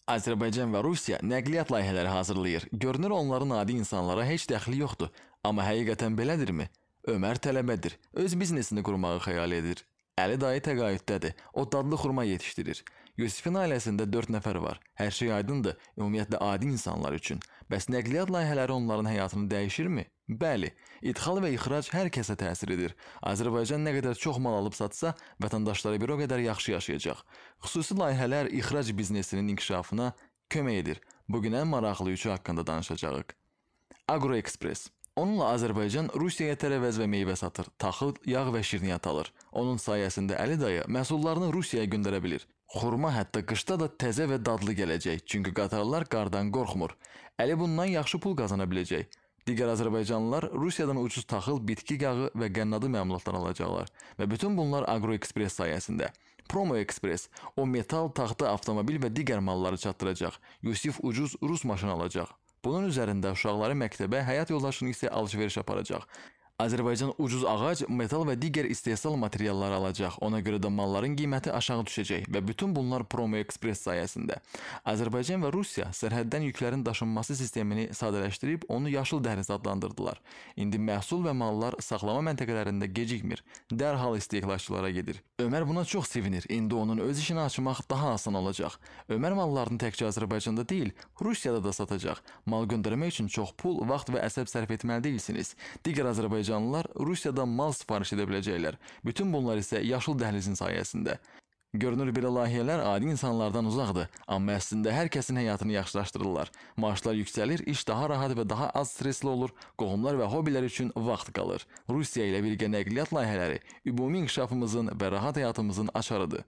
Azərbaycan və Rusiya nəqliyyat layihələri hazırlayır. Görünür onların adi insanlara heç dəxli yoxdur. Amma həqiqətən belədirmi? Ömər tələbədir. Öz biznesini qurmağı xəyal edir. Əli dayı təqaüddədir. O dadlı xurma yetişdirir. Yusifin ailəsində 4 nəfər var. Hər şey aydındır, ümumiyyətlə adi insanlar üçün. Bəs nəqliyyat layihələri onların həyatını dəyişirmi? Bəli, idxal və ixrac hər kəsə təsir edir. Azərbaycan nə qədər çox mal alıb satsa, vətəndaşları bir o qədər yaxşı yaşayacaq. Xüsusi layihələr ixrac biznesinin inkişafına kömək edir. Bugün ən maraqlı üçü haqqında danışacağıq. Agroexpress. Onunla Azərbaycan Rusiyaya tərəvəz və meyvə satır, taxıl, yağ və şirniyyat alır. Onun sayəsində Əli dayı məhsullarını Rusiyaya göndərə bilir. Xurma hətta qışda da təzə və dadlı gələcək, çünki qatarlar qardan qorxmur. Əli bundan yaxşı pul qazana biləcək. Digər azərbaycanlılar Rusiyadan ucuz taxıl, bitki yağı və qənnadı məmulatlar alacaqlar və bütün bunlar Agroexpress sayəsində. Promo Express, o metal, taxta, avtomobil və digər malları çatdıracaq. Yusif ucuz Rus maşını alacaq. Bunun üzərində uşaqları məktəbə, həyat yoldaşını isə alış-veriş aparacaq. Azərbaycan ucuz ağac, metal və digər istehsal materialları alacaq. Ona görə də malların qiyməti aşağı düşəcək və bütün bunlar Promo Express sayəsində. Azərbaycan və Rusiya sərhəddən yüklərin daşınması sistemini sadələşdirib onu yaşıl dəhliz adlandırdılar. İndi məhsul və mallar saxlama məntəqələrində gecikmir, dərhal istehlakçılara gedir. Ömər buna çox sevinir. İndi onun öz işini açmaq daha asan olacaq. Ömər mallarını təkcə Azərbaycanda deyil, Rusiyada da satacaq. Mal göndərmək üçün çox pul, vaxt və əsəb sərf etməli deyilsiniz. Digər Azərbaycanlılar Rusiyadan mal sifariş edə biləcəklər. Bütün bunlar isə yaşıl dəhlizin sayəsində. Görünür belə layihələr adi insanlardan uzaqdır, amma əslində hər kəsin həyatını yaxşılaşdırırlar. Maaşlar yüksəlir, iş daha rahat və daha az stresli olur, qohumlar və hobilər üçün vaxt qalır. Rusiya ilə birgə nəqliyyat layihələri ümumi inkişafımızın və rahat həyatımızın açarıdır.